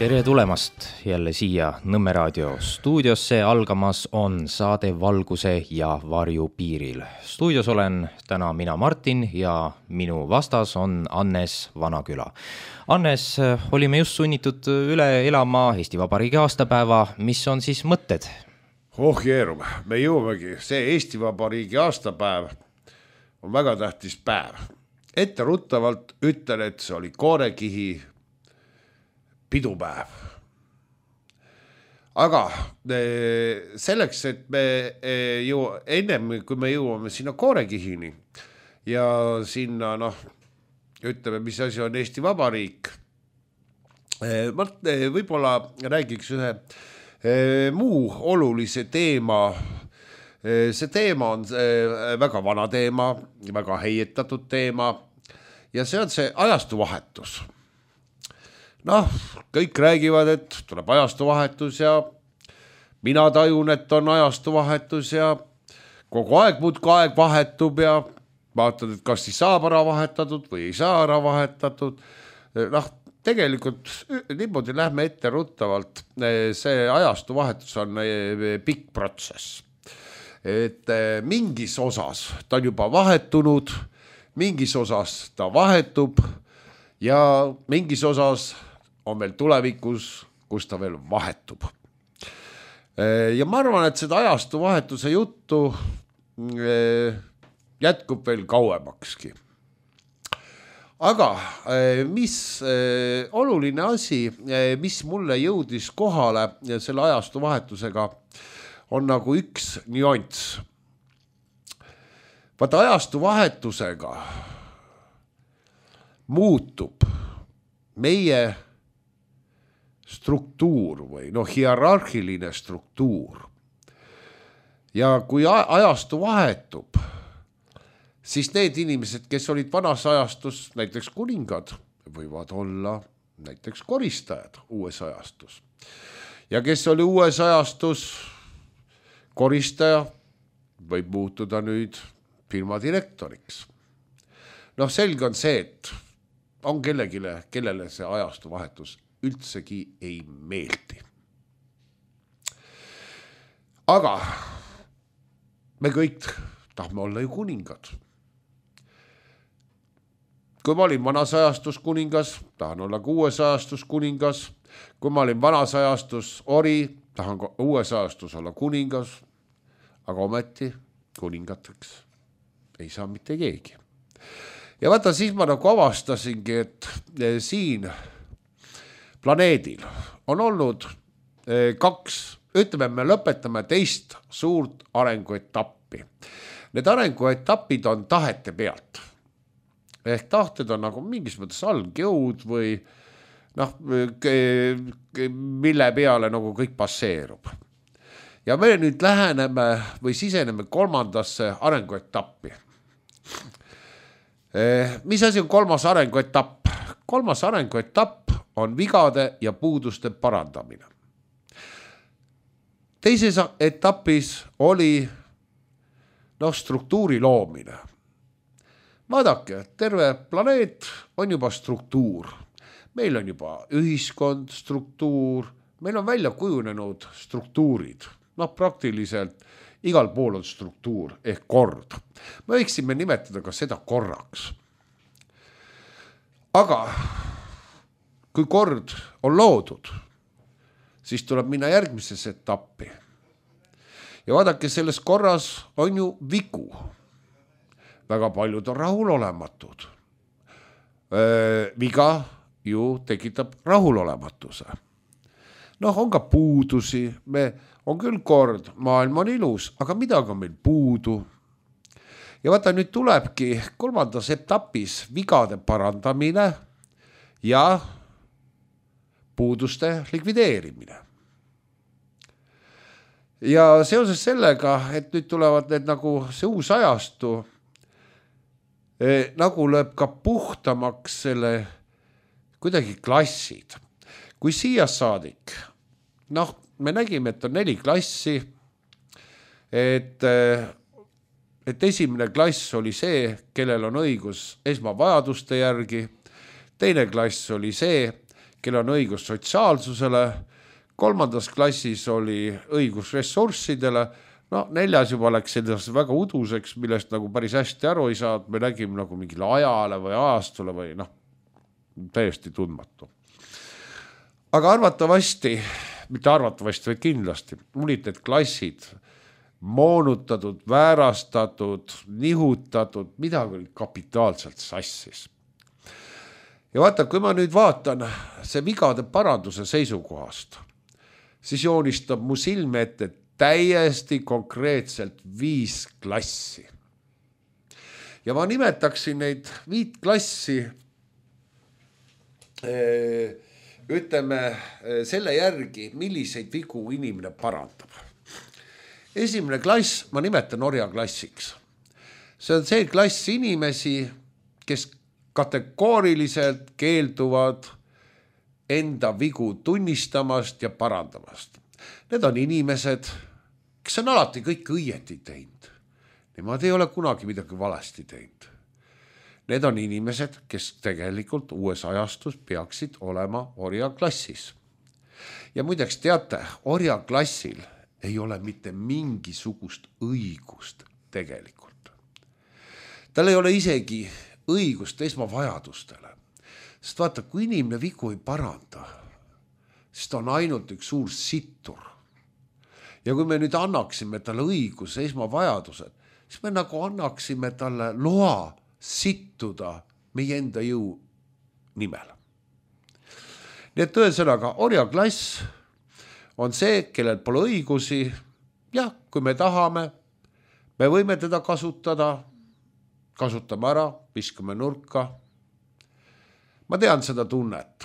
Tere tulemast jälle siia Nõmme Raadio stuudiosse. Algamas on saade Valguse ja varju piiril. Stuudios olen täna mina Martin ja minu vastas on Annes Vanaküla. Annes, olime just sunnitud üle elama Eesti Vabariigi aastapäeva. Mis on siis mõtted? Jeerum, me jõuamegi. See Eesti Vabariigi aastapäev on väga tähtis päev. Etteruttavalt ütlen, et see oli koorekihi pidupäev. Aga selleks, et me ennem kui me jõuame sinna koorekihini ja sinna, ütleme, mis asi on Eesti Vabariik, ma võib-olla räägiks ühe muu olulise teema. See teema on väga vana teema, väga heietatud teema ja see on see ajastuvahetus. Kõik räägivad, et tuleb ajastuvahetus ja mina tajun, et on ajastuvahetus ja kogu aeg muudkui aeg vahetub ja vaatad, et kas siis saab ära vahetatud või ei saa ära vahetatud. Tegelikult niimoodi lähme etteruttavalt. See ajastuvahetus on pikk protsess. Et mingis osas ta on juba vahetunud, mingis osas ta vahetub ja mingis osas on veel tulevikus, kus ta veel vahetub. Ja ma arvan, et seda ajastu vahetuse juttu jätkub veel kauemakski. Aga mis oluline asi, mis mulle jõudis kohale selle ajastu vahetusega, on nagu üks nüanss. Vaata ajastu vahetusega muutub meie struktuur või hierarhiline struktuur. Ja kui ajastu vahetub, siis need inimesed, kes olid vanas ajastus, näiteks kuningad, võivad olla näiteks koristajad uues ajastus. Ja kes oli uues ajastus koristaja, võib muutuda nüüd firma direktoriks. Selge on see, et on kellele see ajastu vahetus üldsegi ei meeldi. Aga me kõik tahame olla ju kuningad. Kui ma olin vanas ajastus kuningas, tahan olla ka uues ajastus kuningas. Kui ma olin vanas ajastus ori, tahan uues ajastus olla kuningas. Aga ometi kuningateks ei saa mitte keegi. Ja vaata, siis ma avastasingi, et siin planeedil on olnud kaks, ütleme, me lõpetame teist suurt arenguetappi. Need arenguetapid on tahete pealt. Ehk tahted on nagu mingis mõttes algjõud või mille peale nagu kõik passeerub. Ja me nüüd läheneme või siseneme kolmandasse arenguetappi. Mis asi on kolmas arenguetapp? Kolmas arenguetapp on vigade ja puuduste parandamine. Teises etapis oli struktuuri loomine. Vaadake, terve planeet on juba struktuur. Meil on juba ühiskond struktuur, meil on välja kujunenud struktuurid. Praktiliselt igal pool on struktuur ehk kord. Me võiksime nimetada ka seda korraks. Aga kui kord on loodud, siis tuleb minna järgmises etappi. Ja vaadake, selles korras on ju vigu. Väga paljud on rahulolematud. Viga ju tekitab rahulolematuse. On ka puudusi, on küll kord, maailm on ilus, aga midagi on meil puudu. Ja vaata, nüüd tulebki kolmandas etapis vigade parandamine ja puuduste likvideerimine. Ja seoses sellega, et nüüd tulevad need nagu see uus ajastu, nagu lööb ka puhtamaks selle kuidagi klassid. Kui siia saadik, me nägime, et on 4 klassi, et esimene klass oli see, kellel on õigus esmavajaduste järgi, teine klass oli see, kellel on õigus sotsiaalsusele, 3. klassis oli õigus ressurssidele, no 4. juba läks sellise väga uduseks, millest nagu päris hästi aru ei saa, me nägime nagu mingile ajale või ajastule või täiesti tundmatu. Aga arvatavasti, mitte arvatavasti, vaid kindlasti, olid need klassid moonutatud, väärastatud, nihutatud, midagi oli kapitaalselt sassis. Ja vaata, kui ma nüüd vaatan see vigade paranduse seisukohast, siis joonistab mu silme ette täiesti konkreetselt 5 klassi. Ja ma nimetaksin neid 5 klassi, ütleme selle järgi, milliseid vigu inimene parandab. Esimene klass, ma nimetan orjaklassiks. See on see klass inimesi, kes kategooriliselt keelduvad enda vigu tunnistamast ja parandamast. Need on inimesed, kes on alati kõik õieti teinud. Nemad ei ole kunagi midagi valesti teinud. Need on inimesed, kes tegelikult uues ajastus peaksid olema orjaklassis. Ja muideks teate, orjaklassil ei ole mitte mingisugust õigust tegelikult. Tal ei ole isegi õigust esmavajadustele. Sest vaata, kui inimene vigu ei paranda, siis ta on ainult üks suur sittur. Ja kui me nüüd annaksime talle õiguse esmavajadused, siis me nagu annaksime talle loa sittuda meie enda jõu nimel. Nii et tõesõnaga, orjaklass on see, kellel pole õigusi. Ja kui me tahame, me võime teda kasutada, kasutame ära, viskame nurka. Ma tean seda tunnet.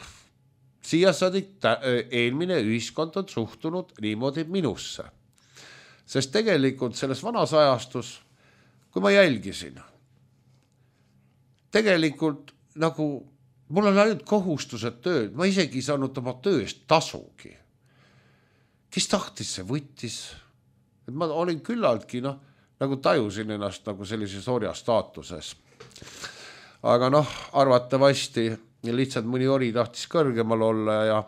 Siia saadik eelmine ühiskond on suhtunud niimoodi minusse. Sest tegelikult selles vanas ajastus, kui ma jälgisin, tegelikult nagu mul on ainult kohustused tööd, ma isegi ei saanud oma tööst tasugi. Kes tahtis, see võttis. Et ma olin küllaltki, nagu tajusin ennast nagu sellises orja staatuses. Aga arvatavasti lihtsalt mõni ori tahtis kõrgemal olla ja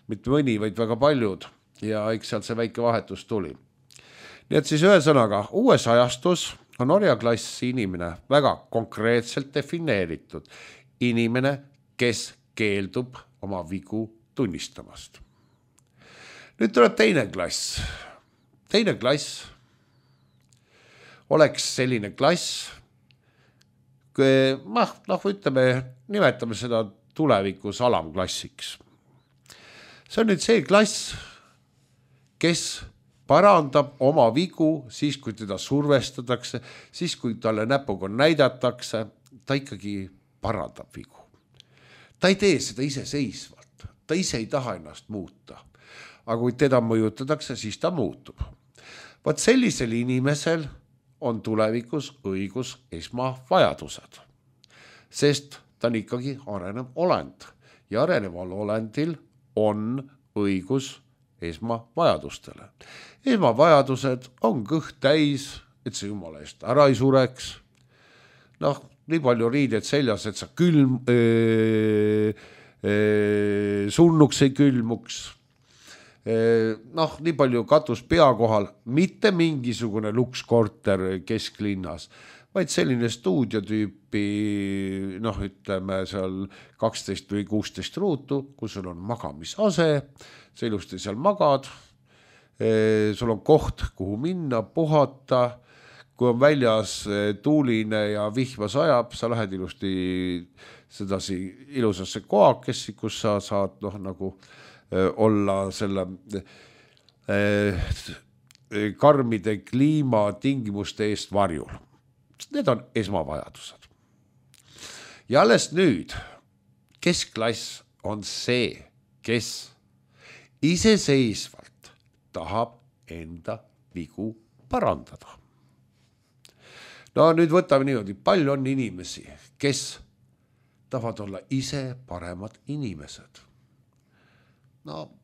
mitte mõni, vaid väga paljud. Ja eks sealt see väike vahetus tuli. Nii et siis ühesõnaga, uues ajastus on orjaklassi inimene väga konkreetselt defineeritud. Inimene, kes keeldub oma vigu tunnistamast. Nüüd tuleb teine klass. Teine klass oleks selline klass, ütleme, nimetame seda tulevikus alamklassiks. See on nüüd see klass, kes parandab oma vigu siis, kui teda survestatakse, siis, kui talle näpuga näidatakse, ta ikkagi parandab vigu. Ta ei tee seda iseseisvalt, ta ise ei taha ennast muuta. Aga kui teda mõjutatakse, siis ta muutub. Vaat sellisel inimesel on tulevikus õigus esmavajadused, sest ta on ikkagi arenev olend ja areneval olendil on õigus esmavajadustele. Esmavajadused on kõht täis, et see jumala eest ära ei sureks. Nii palju riided seljas, et sa surnuks ei külmuks. Nii palju katus pea kohal, mitte mingisugune lukskorter kesklinnas, vaid selline stuudiotüüpi, ütleme seal 12 või 16 ruutu, kus sul on magamisase, sa ilusti seal magad, sul on koht, kuhu minna, puhata, kui on väljas tuuline ja vihma sajab, sa lähed ilusti sedasi ilusasse koakessi, kus sa saad olla selle karmide kliimatingimuste eest varjul. Need on esmavajadused. Ja alles nüüd keskklass on see, kes iseseisvalt tahab enda vigu parandada. Nüüd võtame niimoodi, palju on inimesi, kes tahavad olla ise paremad inimesed.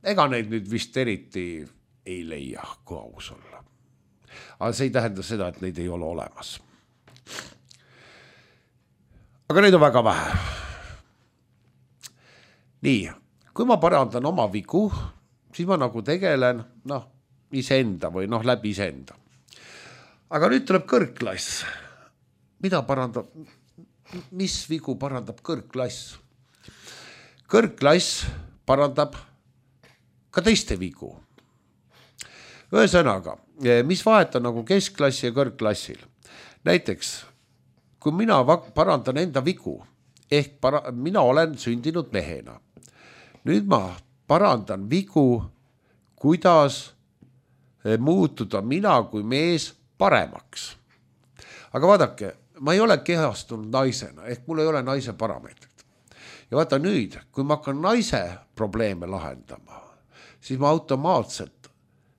Ega neid nüüd vist eriti ei leia, kui aus olla. Aga see ei tähenda seda, et neid ei ole olemas. Aga neid on väga vähe. Nii, kui ma parandan oma vigu, siis ma nagu tegelen iseenda või läbi iseenda. Aga nüüd tuleb kõrgklass. Mida parandab, mis vigu parandab kõrgklass? Kõrgklass parandab ka teiste vigu. Ühesõnaga, mis vahet on nagu keskklassi ja kõrgklassil? Näiteks, kui mina parandan enda vigu, ehk mina olen sündinud mehena. Nüüd ma parandan vigu, kuidas muutuda mina kui mees paremaks. Aga vaadake, ma ei ole kehastunud naisena, ehk mul ei ole naise parameetrit. Ja vaata nüüd, kui ma hakkan naise probleeme lahendama, siis ma automaatselt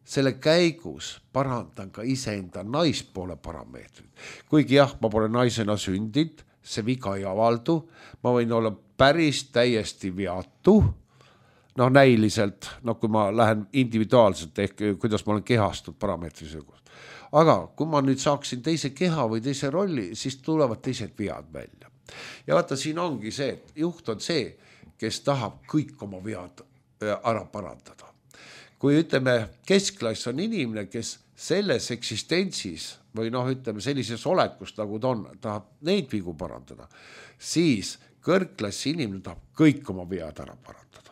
selle käigus parandan ka iseenda naispoole parameetrit. Kuigi jah, ma pole naisena sündinud, see viga ei avaldu, ma võin olla päris täiesti veatu, näiliselt, kui ma lähen individuaalselt, ehk kuidas ma olen kehastunud parameetrisõgust. Aga kui ma nüüd saaksin teise keha või teise rolli, siis tulevad teised vead välja. Ja vaata, siin ongi see, et juht on see, kes tahab kõik oma vead ära parandada. Kui ütleme, keskklass on inimene, kes selles eksistentsis või ütleme sellises olekust, nagu ta on, tahab neid vigu parandada, siis kõrgklassi inimene tahab kõik oma vead ära parandada.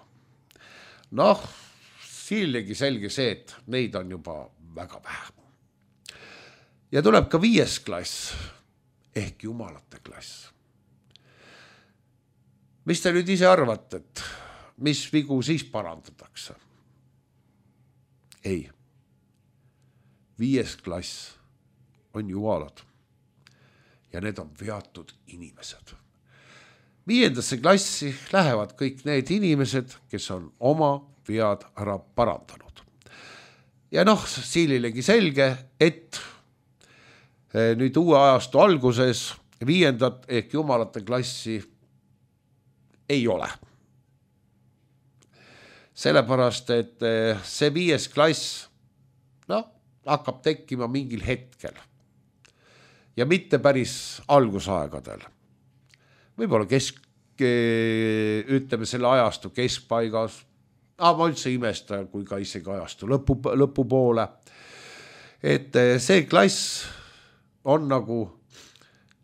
Siilegi selge see, et neid on juba väga vähe. Ja tuleb ka 5. klass, ehk jumalate klass. Mis te nüüd ise arvate, et mis vigu siis parandatakse? Ei. 5. klass on jumalad ja need on veatud inimesed. 5. klassi lähevad kõik need inimesed, kes on oma vead ära parandanud. Ja siililegi selge, et nüüd uue ajastu alguses 5. ehk jumalate klassi ei ole. Sellepärast, et see 5. klass hakkab tekkima mingil hetkel ja mitte päris algusaegadel. Võib-olla ütleme selle ajastu keskpaigas, ma üldse imesta, kui ka isegi ajastu lõpupoole, et see klass on nagu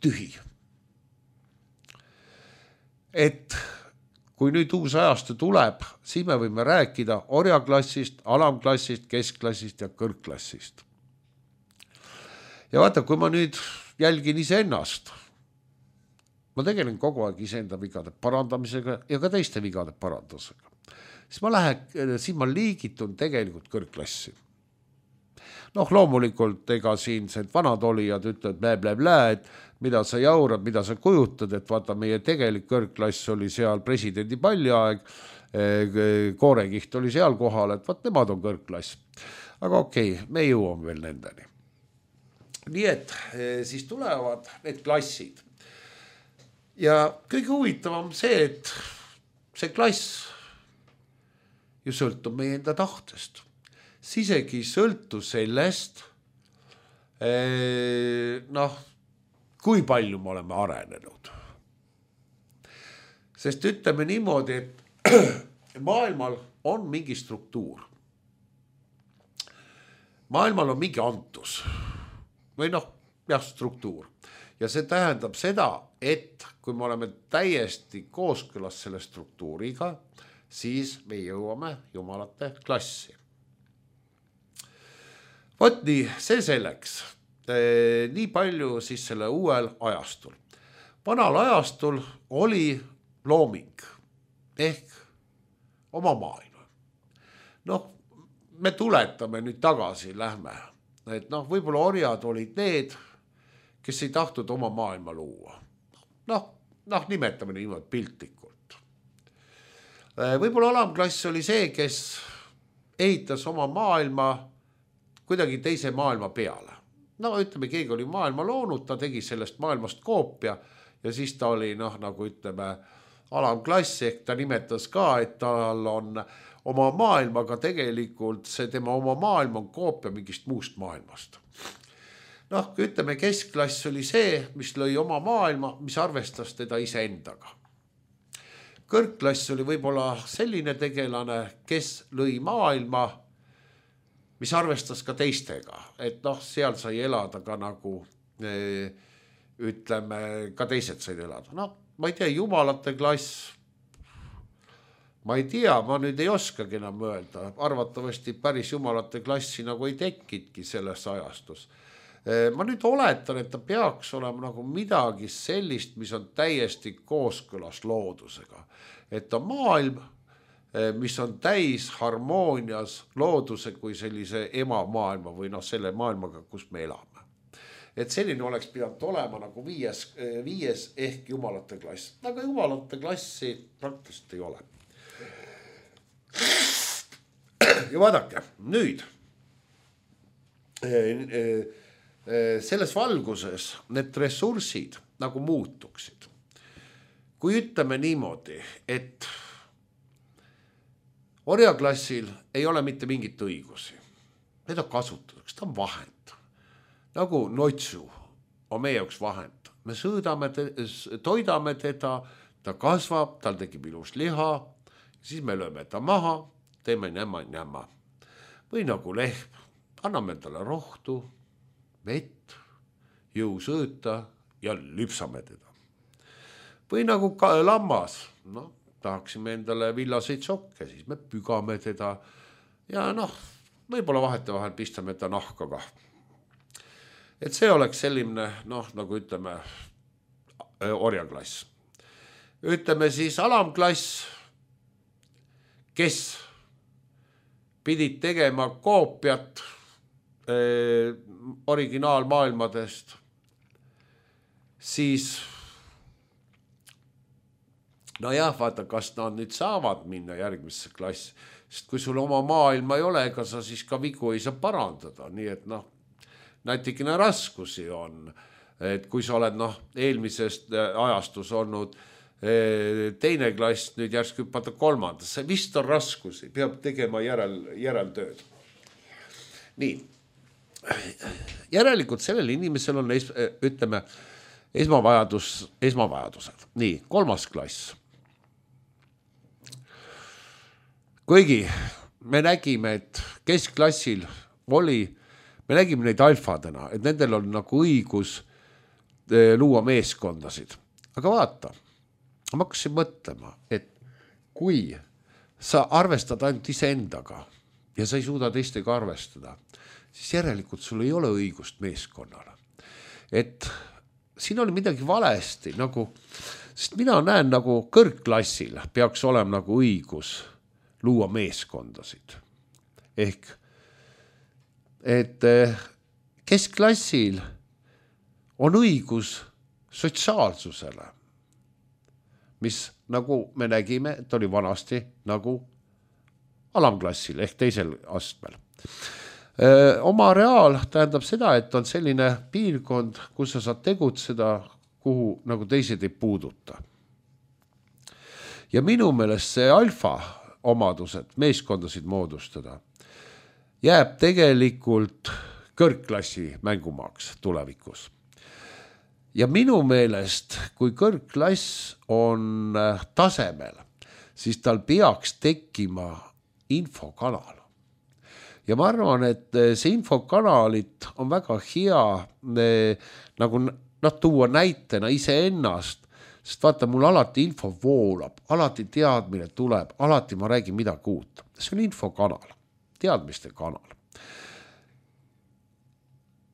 tühi. Et kui nüüd uus ajastu tuleb, siis me võime rääkida orjaklassist, alamklassist, keskklassist ja kõrgklassist. Ja vaata, kui ma nüüd jälgin iseennast, ma tegelen kogu aeg iseenda vigade parandamisega ja ka teiste vigade parandusega. Siis ma liigitun tegelikult kõrgklassi. Loomulikult ega siin vanad olijad ütlevad blä, et mida sa jaurad, mida sa kujutad, et vaata meie tegelik kõrgklass oli seal presidendi palliaeg, koorekiht oli seal kohal, et vaat nemad on kõrgklass. Aga okei, me jõuame veel nendeni. Nii et siis tulevad need klassid. Ja kõige huvitavam see, et see klass ju sõltub meie enda tahtest. Siis isegi sõltu sellest, kui palju me oleme arenenud. Sest ütleme niimoodi, et maailmal on mingi struktuur. Maailmal on mingi antus või struktuur. Ja see tähendab seda, et kui me oleme täiesti kooskõlas selle struktuuriga, siis me jõuame jumalate klassi. Vot nii, see selleks. Nii palju siis selle uuel ajastul. Vanal ajastul oli looming ehk oma maailma. Me tuletame nüüd tagasi, lähme. Et võib-olla orjad olid need, kes ei tahtnud oma maailma luua. Nimetame niimoodi piltlikult. Võib-olla alamklass oli see, kes ehitas oma maailma kuidagi teise maailma peale. Ütleme, keegi oli maailma loonud, ta tegi sellest maailmast koopia ja siis ta oli, nagu ütleme, alamklass, ehk ta nimetas ka, et tal on oma maailmaga tegelikult see tema oma maailm on koopia mingist muust maailmast. Ütleme, keskklass oli see, mis lõi oma maailma, mis arvestas teda iseendaga. kõrgklass oli võib-olla selline tegelane, kes lõi maailma, mis arvestas ka teistega, et noh, seal sai elada ka nagu ütleme, ka teised said elada. No ma ei tea, jumalate klass, ma ei tea, ma nüüd ei oskagi enam öelda, arvatavasti päris jumalate klassi nagu ei tekkidki selles ajastus. Ma nüüd oletan, et ta peaks olema nagu midagi sellist, mis on täiesti kooskõlas loodusega. Et on maailm, mis on täis harmoonias looduse kui sellise emamaailma või noh, selle maailmaga, kus me elame. Et selline oleks pidanud olema nagu viies ehk jumalate klass. Aga jumalate klassi praktiliselt ei ole. Ja vaadake, nüüd selles valguses need ressursid nagu muutuksid. Kui ütleme niimoodi, et orjaklassil ei ole mitte mingit õigusi. Need on kasutatud, ta on vahend. Nagu notsu on meie jaoks vahend. Me toidame teda, ta kasvab, tal tekib ilus liha, siis me lööme ta maha, teeme näma. Või nagu lehm, anname talle rohtu, vett, jõusõõta ja lüpsame teda. Või nagu lammas, noh, tahaksime endale villaseid sokke, siis me pügame teda ja noh, võib-olla vahetevahel pistame ta nahka ka. Et see oleks selline, noh, nagu ütleme, orjaklass. Ütleme siis alamklass, kes pidid tegema koopiat originaalmaailmadest, siis no jah, vaata, kas nad nüüd saavad minna järgmisse klassi, sest kui sul oma maailma ei ole, ega sa siis ka vigu ei saa parandada, nii et noh, natikene raskusi on, et kui sa oled noh, eelmisest ajastus olnud teine klass, nüüd järsku hüppata kolmandasse, vist on raskusi, peab tegema järeltööd. Nii, järelikult sellel inimesel on, ütleme, esmavajadused. Nii, kolmas klass. Kuigi me nägime, et keskklassil oli, me nägime neid alfadena, et nendel on nagu õigus luua meeskondasid. Aga vaata, ma hakkasin mõtlema, et kui sa arvestad ainult iseendaga ja sa ei suuda teistega arvestada, siis järelikult sul ei ole õigust meeskonnale. Et siin oli midagi valesti, nagu, sest mina näen nagu kõrgklassil peaks olema nagu õigus luua meeskondasid. Ehk, et keskklassil on õigus sotsiaalsusele, mis nagu me nägime, et oli vanasti nagu alamklassil ehk teisel astmel. Oma reaal tähendab seda, et on selline piirkond, kus sa saad tegutseda, kuhu nagu teised ei puuduta. Ja minu meelest see alfa omadused, meeskondasid moodustada, jääb tegelikult kõrgklassi mängumaaks tulevikus. Ja minu meelest, kui kõrgklass on tasemel, siis tal peaks tekkima infokanal. Ja ma arvan, et see infokanalit on väga hea nagu tuua näitena iseennast, sest vaata, mul alati info voolab, alati teadmine tuleb, alati ma räägin midagi uut. See on infokanal, teadmiste kanal.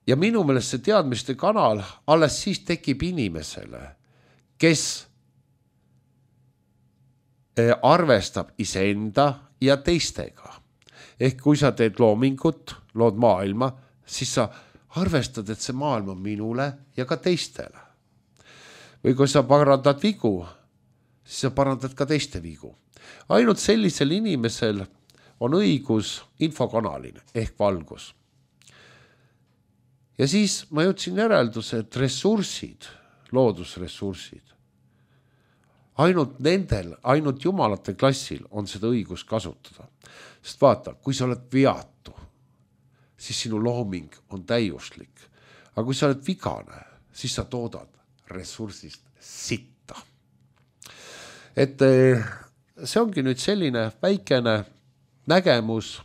Ja minu meelest see teadmiste kanal alles siis tekib inimesele, kes arvestab iseenda ja teistega. Ehk kui sa teed loomingut, lood maailma, siis sa arvestad, et see maailm on minule ja ka teistele. Või kui sa parandad vigu, siis sa parandad ka teiste vigu. Ainult sellisel inimesel on õigus infokanalini ehk valgus. Ja siis ma jõudsin järelduse, et ressursid, loodusressursid, ainult jumalate klassil on seda õigus kasutada. Sest vaata, kui sa oled veatu, siis sinu looming on täiuslik. Aga kui sa oled vigane, siis sa toodad ressursist sitta. et see ongi nüüd selline väikene nägemus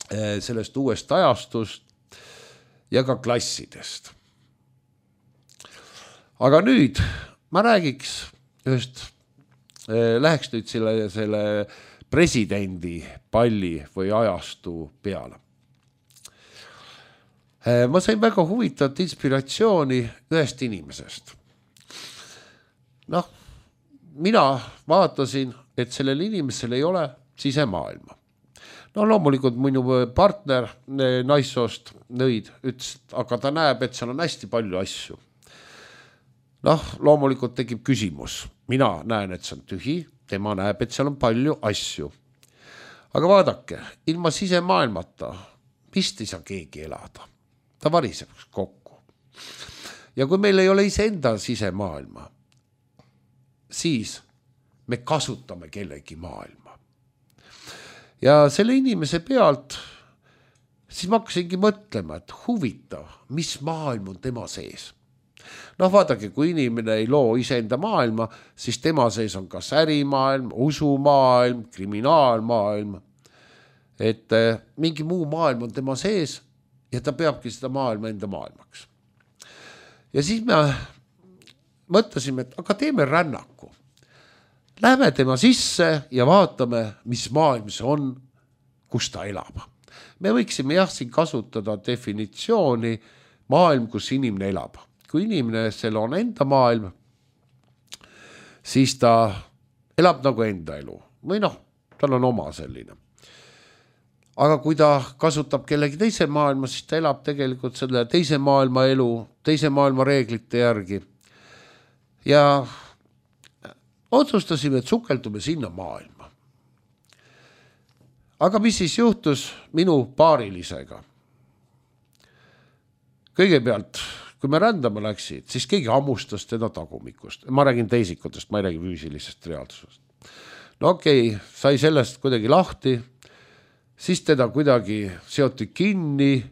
sellest uuest ajastust ja ka klassidest. Aga nüüd ma räägiks ühest, läheks nüüd selle presidendi palli või ajastu peale. Ma sain väga huvitavat inspiratsiooni ühest inimesest. Mina vaatasin, et sellel inimesel ei ole sisemaailma. Loomulikult minu partner naissoost nõid ütles, aga ta näeb, et seal on hästi palju asju. Loomulikult tekib küsimus. Mina näen, et see on tühi, tema näeb, et seal on palju asju. Aga vaadake, ilma sisemaailmata vist ei saa keegi elada. Ta variseb kokku. Ja kui meil ei ole iseenda sisemaailma, siis me kasutame kellegi maailma. Ja selle inimese pealt siis ma hakkasingi mõtlema, et huvitav, mis maailm on tema sees. Vaadake, kui inimene ei loo iseenda maailma, siis tema sees on kas ärimaailm, usumaailm, kriminaalmaailm. Et mingi muu maailm on tema sees ja ta peabki seda maailma enda maailmaks. Ja siis me mõtlesime, et aga teeme rännaku. Lähme tema sisse ja vaatame, mis maailm see on, kus ta elab. Me võiksime siin kasutada definitsiooni maailm, kus inimene elab. Kui inimene seal on enda maailm, siis ta elab nagu enda elu. Või tal on oma selline. Aga kui ta kasutab kellegi teise maailma, siis ta elab tegelikult selle teise maailma elu, teise maailma reeglite järgi. Ja otsustasime, et sukeldume sinna maailma. Aga mis siis juhtus minu paarilisega? Kõigepealt, kui me rändama läksid, siis keegi hammustas teda tagumikust. Ma räägin teisikutest, ma ei räägi füüsilisest reaalsusest. Okei, sai sellest kuidagi lahti, siis teda kuidagi seoti kinni,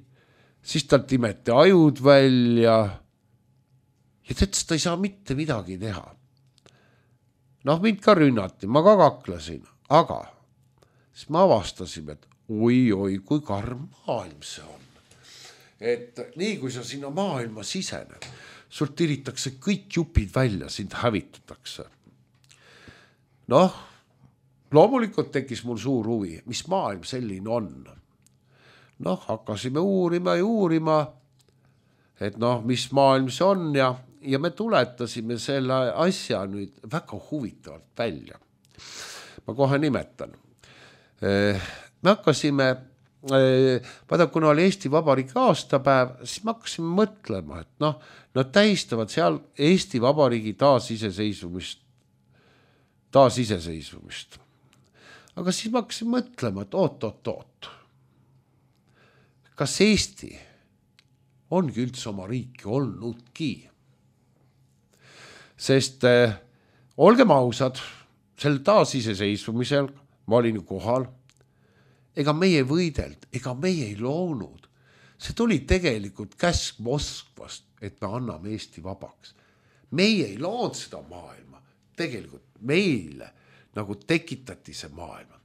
siis tal timeti ajud välja ja ta ei saa mitte midagi teha. Mind ka rünnati, ma ka kaklesin, aga siis me avastasime, et oi, kui karm maailm see on. Et nii kui sa sinna maailma sisened, sul tiritakse kõik jupid välja, sind hävitatakse. Loomulikult tekkis mul suur huvi, mis maailm selline on. Hakkasime uurima, et mis maailm see on ja me tuletasime selle asja nüüd väga huvitavalt välja. Ma kohe nimetan. Me hakkasime, kuna oli Eesti Vabariigi aastapäev, siis me hakkasime mõtlema, et nad tähistavad seal Eesti Vabariigi taasiseseisvumist. Aga siis ma hakkasin mõtlema, et oot. Kas Eesti ongi üldse oma riiki olnudki? Sest olgem ausad, sel taasiseseisvumisel ma olin kohal, ega meie võidelt, ega meie ei loonud. See tuli tegelikult käsk Moskvast, et me anname Eesti vabaks. Meie ei loonud seda maailma, tegelikult meile nagu tekitati see maailma.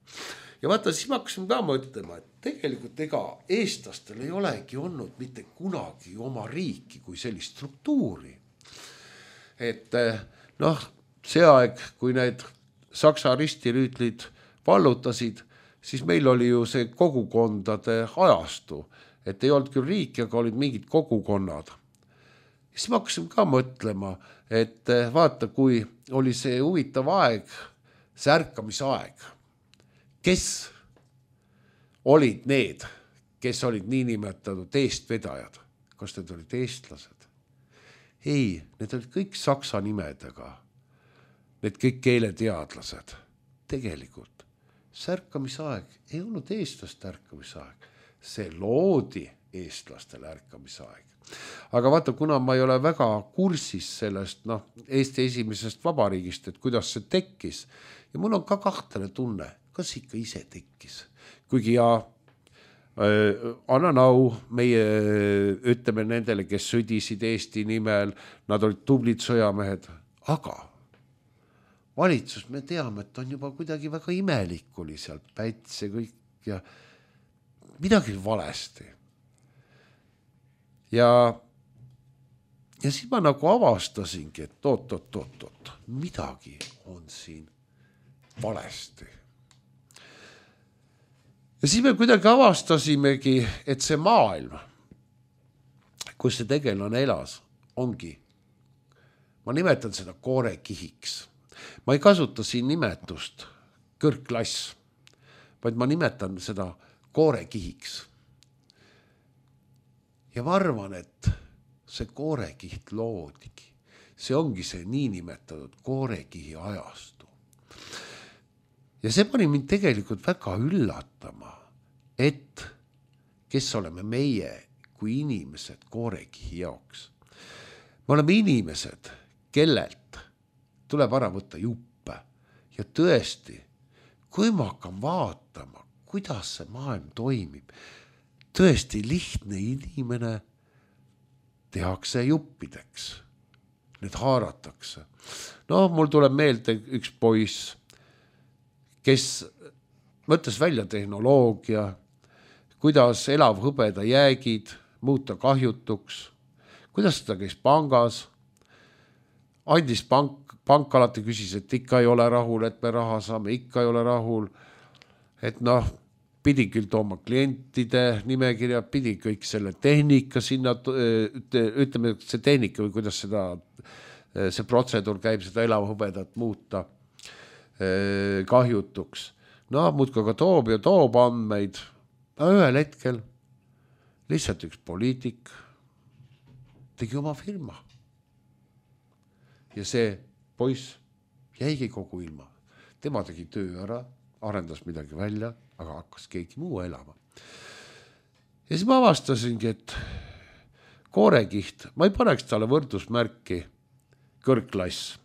Ja vaata, siis ma hakkasin ka mõtlema, et tegelikult ega eestlastel ei olegi olnud mitte kunagi oma riiki kui sellist struktuuri. Et see aeg, kui need Saksa ristirüütlid vallutasid, siis meil oli ju see kogukondade ajastu, et ei olnud küll riiki, aga olid mingid kogukonnad. Siis ma hakkasin ka mõtlema, et vaata, kui oli see huvitav aeg, see ärkamisaeg, kes olid need, kes olid niinimetatud eestvedajad? Kas need olid eestlased? Ei, need olid kõik saksa nimedega. Need kõik keeleteadlased. Tegelikult see ärkamisaeg ei olnud eestlaste ärkamisaeg. See loodi eestlastele ärkamisaeg. Aga vaata, kuna ma ei ole väga kursis sellest Eesti esimesest vabariigist, et kuidas see tekkis, ja mul on ka kahtlane tunne, kas ikka ise tekkis. Kuigi annan au meie, ütleme nendele, kes sõdisid Eesti nimel, nad olid tublid sõjamehed, aga valitsus, me teame, et on juba kuidagi väga imelik oli seal Päts ja kõik ja midagi valesti. Ja siis ma nagu avastasingi, et oot, midagi on siin valesti. Ja siis me kuidagi avastasimegi, et see maailm, kus see tegelane elas, ongi, ma nimetan seda koorekihiks. Ma ei kasuta siin nimetust kõrgklass, vaid ma nimetan seda koorekihiks. Ja ma arvan, et see koorekiht loodigi. See ongi see niinimetatud koorekihi ajastu. Ja see pani mind tegelikult väga üllatama, et kes oleme meie kui inimesed koorekihi jaoks. Me oleme inimesed, kellelt tuleb ära võtta juppe. Ja tõesti, kui ma hakkan vaatama, kuidas see maailm toimib, tõesti lihtne inimene tehakse juppideks. Need haaratakse. No, mul tuleb meelde üks poiss, kes mõtles välja tehnoloogia, kuidas elav hõbeda jäägid muuta kahjutuks, kuidas seda käis pangas, andis pank alati küsis, et ikka ei ole rahul, et me raha saame, ikka ei ole rahul, et pidi küll tooma klientide nimekirja, pidi kõik selle tehnika sinna, ütleme, see tehnika või kuidas see protseduur käib, seda elavhõbedat muuta kahjutuks. Muudka ka toob ja toob andmeid. Ühel hetkel lihtsalt üks poliitik tegi oma firma. Ja see poiss jäigi kogu ilma. Tema tegi töö ära, arendas midagi välja, aga hakkas keegi muu elama. Ja siis ma avastasingi, et koorekiht, ma ei paneks talle võrdusmärki kõrgklass.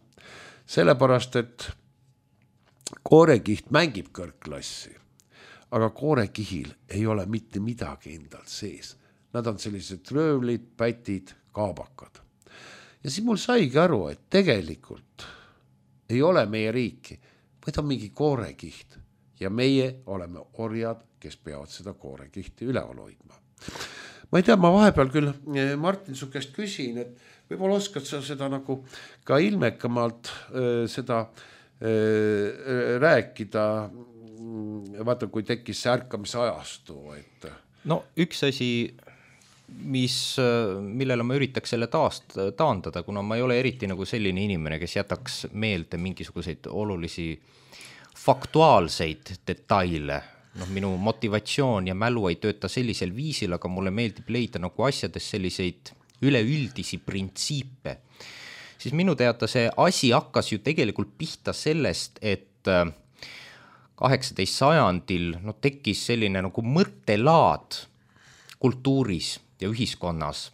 Sellepärast, et koorekiht mängib kõrgklassi, aga koorekihil ei ole mitte midagi endal sees. Nad on sellised röövlid, pätid, kaabakad. Ja siis mul saigi aru, et tegelikult ei ole meie riiki, vaid on mingi koorekiht. Ja meie oleme orjad, kes peavad seda koorekihti üleval hoidma. Ma ei tea, ma vahepeal küll, Martin, su käest küsin, et võib-olla oskad sa seda nagu ka ilmekamalt seda rääkida, vaata, kui tekkis see ärkamise ajastu. Et... No üks asi, millele ma üritaks selle taandada, kuna ma ei ole eriti nagu selline inimene, kes jätaks meelde mingisuguseid olulisi faktuaalseid detaile. Minu motivatsioon ja mälu ei tööta sellisel viisil, aga mulle meeldib leida nagu asjades selliseid üleüldisi printsiipe. Siis minu teada see asi hakkas ju tegelikult pihta sellest, et 18. sajandil tekkis selline nagu mõttelaad kultuuris ja ühiskonnas,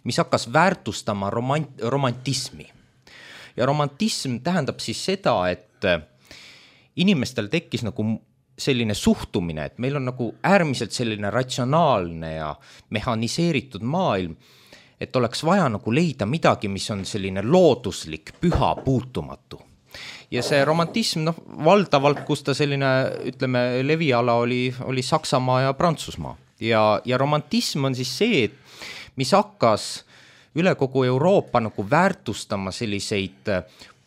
mis hakkas väärtustama romantismi. Ja romantism tähendab siis seda, et inimestel tekkis nagu selline suhtumine, et meil on nagu äärmiselt selline ratsionaalne ja mehaniseeritud maailm, et oleks vaja nagu leida midagi, mis on selline looduslik, püha, puutumatu. Ja see romantism, valdavalt, kus ta selline, ütleme, leviala oli Saksamaa ja Prantsusmaa. Ja romantism on siis see, mis hakkas üle kogu Euroopa nagu väärtustama selliseid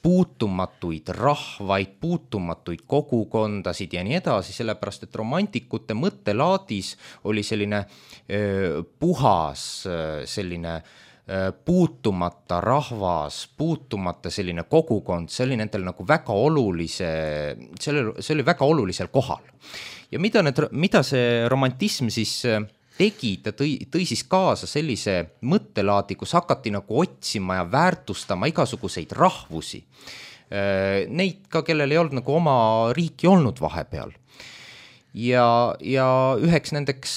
puutumatuid rahvaid, puutumatuid kogukondasid ja nii edasi, sellepärast, et romantikute mõttelaadis oli selline puhas, selline puutumata rahvas, puutumata selline kogukond, see oli nendel nagu väga see oli väga olulisel kohal. Ja mida see romantism siis tegi, ta tõi siis kaasa sellise mõttelaadi, kus hakati nagu otsima ja väärtustama igasuguseid rahvusi. Neid ka, kellel ei olnud nagu oma riiki olnud vahepeal. Ja üheks nendeks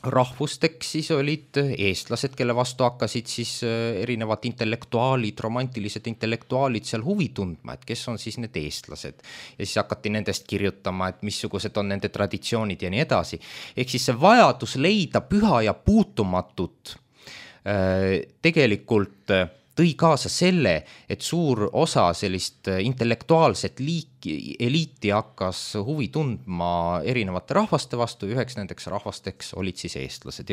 rahvusteks siis olid eestlased, kelle vastu hakkasid siis erinevad intellektuaalid, romantilised intellektuaalid seal huvi tundma, et kes on siis need eestlased. Ja siis hakati nendest kirjutama, et missugused on nende traditsioonid ja nii edasi. Ehk siis see vajadus leida püha ja puutumatut tegelikult tõi kaasa selle, et suur osa sellist intellektuaalset eliiti hakkas huvi tundma erinevate rahvaste vastu, üheks nendeks rahvasteks olid siis eestlased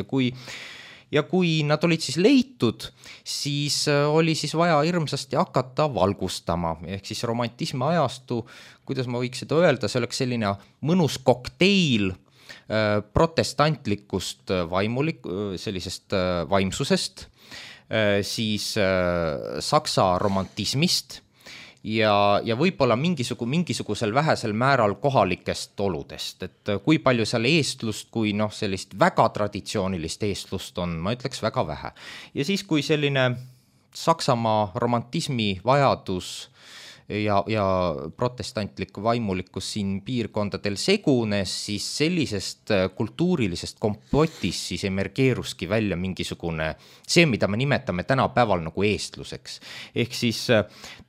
ja kui nad olid siis leitud, siis oli siis vaja hirmsasti hakata valgustama, ehk siis romantismi ajastu, kuidas ma võiks seda öelda, see oleks selline mõnus kokteil protestantlikust sellisest vaimsusest, siis saksa romantismist ja võib-olla mingisugusel vähesel määral kohalikest oludest, et kui palju seal eestlust, kui sellist väga traditsioonilist eestlust on, ma ütleks väga vähe. Ja siis, kui selline Saksamaa romantismi vajadus ja protestantlik vaimulikkus siin piirkondadel segunes, siis sellisest kultuurilisest kompotist siis emergeeruski välja mingisugune see, mida me nimetame tänapäeval nagu eestluseks. Ehk siis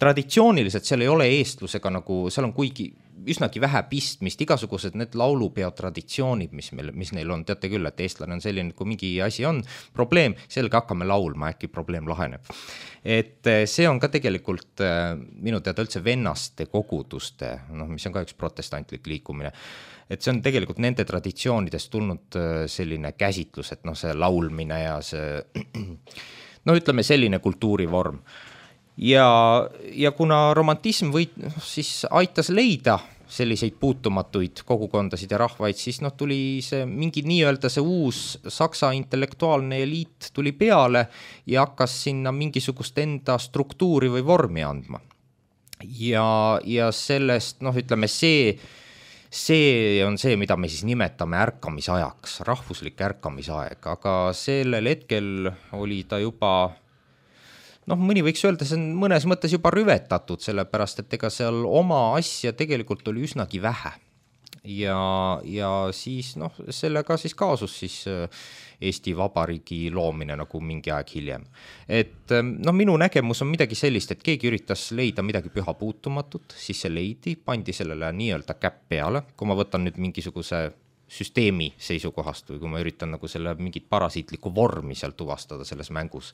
traditsiooniliselt seal ei ole eestlusega nagu, seal on kuigi üsnagi vähe pistmist, igasugused need laulupeo traditsioonid, mis neil on, teate küll, et eestlane on selline, kui mingi asi on probleem, selge hakkame laulma, äkki probleem laheneb. Et see on ka tegelikult minu teada üldse vennaste koguduste, mis on ka üks protestantlik liikumine, et see on tegelikult nende traditsioonidest tulnud selline käsitlus, et see laulmine ja see, ütleme selline kultuurivorm. Ja kuna romantism siis aitas leida selliseid puutumatuid kogukondasid ja rahvaid, siis tuli see mingi nii-öelda see uus saksa intellektuaalne eliit tuli peale ja hakkas sinna mingisugust enda struktuuri või vormi andma. Ja sellest, ütleme see on see, mida me siis nimetame ärkamisajaks, rahvuslik ärkamisaeg, aga sellel hetkel oli ta juba mõni võiks öelda, see on mõnes mõttes juba rüvetatud, sellepärast, et ega seal oma asja tegelikult oli üsnagi vähe. Ja siis sellega siis kaasus siis Eesti Vabariigi loomine nagu mingi aeg hiljem. Et minu nägemus on midagi sellist, et keegi üritas leida midagi püha puutumatut, siis see leidi, pandi sellele nii-öelda käpp peale, kui ma võtan nüüd mingisuguse süsteemi seisukohast või kui ma üritan nagu selle mingit parasiitlikku vormi seal tuvastada selles mängus.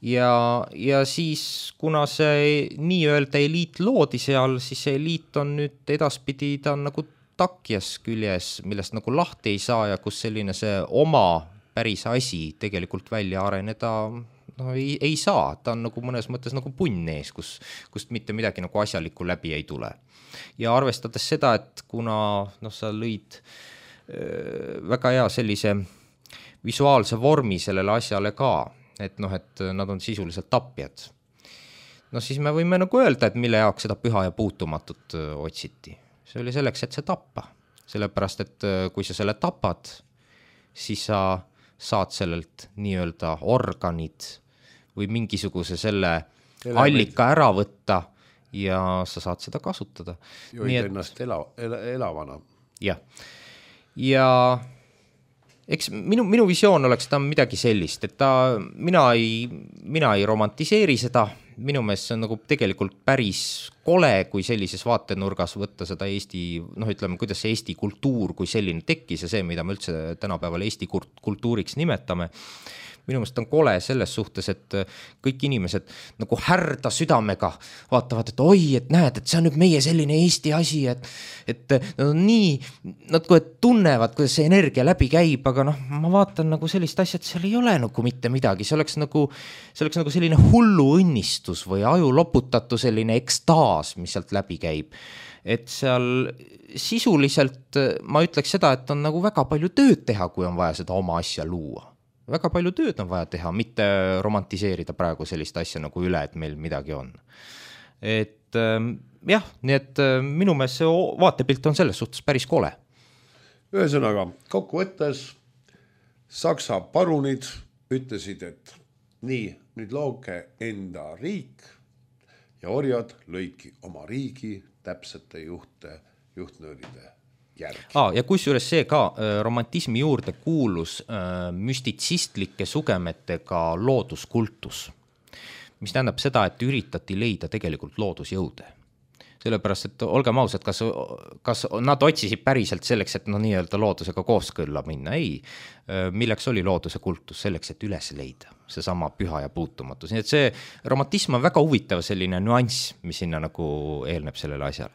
Ja siis, kuna see nii-öelda eliit loodi seal, siis see eliit on nüüd edaspidi, ta on nagu takjas küljes, millest nagu lahti ei saa ja kus selline see oma päris asi tegelikult välja areneda ei saa. Ta on nagu mõnes mõttes nagu punn ees, kust mitte midagi nagu asjalikku läbi ei tule. Ja arvestades seda, et kuna sa lõid väga hea sellise visuaalse vormi sellele asjale ka, et nad on sisuliselt tapjad. Siis me võime nagu öelda, et mille jaoks seda püha ja puutumatut otsiti. See oli selleks, et see tappa. Sellepärast, et kui sa selle tapad, siis sa saad sellelt nii-öelda organid või mingisuguse selle allika ära võtta ja sa saad seda kasutada. Joid ennast elavana. Jah. Ja eks minu visioon oleks ta midagi sellist, et mina ei romantiseeri seda, minu meelest see on nagu tegelikult päris kole, kui sellises vaatenurgas võtta seda Eesti, ütleme, kuidas see Eesti kultuur kui selline tekkis ja see, mida me üldse tänapäeval Eesti kultuuriks nimetame. Minu meelest on kole selles suhtes, et kõik inimesed nagu härda südamega vaatavad, et oi, et näed, et see on nüüd meie selline Eesti asi, et nad on nii, nad kui tunnevad, kuidas see energia läbi käib, aga ma vaatan nagu sellist asja, et seal ei ole nagu mitte midagi, see oleks nagu selline hullu õnnistus või aju loputatu selline ekstaas, mis sealt läbi käib. Et seal sisuliselt ma ütleks seda, et on nagu väga palju tööd teha, kui on vaja seda oma asja luua. Väga palju tööd on vaja teha, mitte romantiseerida praegu sellist asja nagu üle, et meil midagi on. Et jah, nii et minu meelest see vaatepilt on selles suhtes päris kole. Ühesõnaga, kokkuvõttes Saksa parunid ütlesid, et nii, nüüd looge enda riik ja orjad lõidki oma riigi täpsete juhtnööride järgi. Ja kusjuures see ka romantismi juurde kuulus müstitsistlike sugemetega looduskultus, mis tähendab seda, et üritati leida tegelikult loodusjõude. sellepärast, et olgem ausad, kas nad otsisid päriselt selleks, et nii-öelda loodusega kooskõlla minna, ei. Milleks oli looduse kultus? Selleks, et üles leida seesama püha ja puutumatus. Nii et see romantism on väga huvitav selline nüanss, mis sinna nagu eelneb sellele asjale.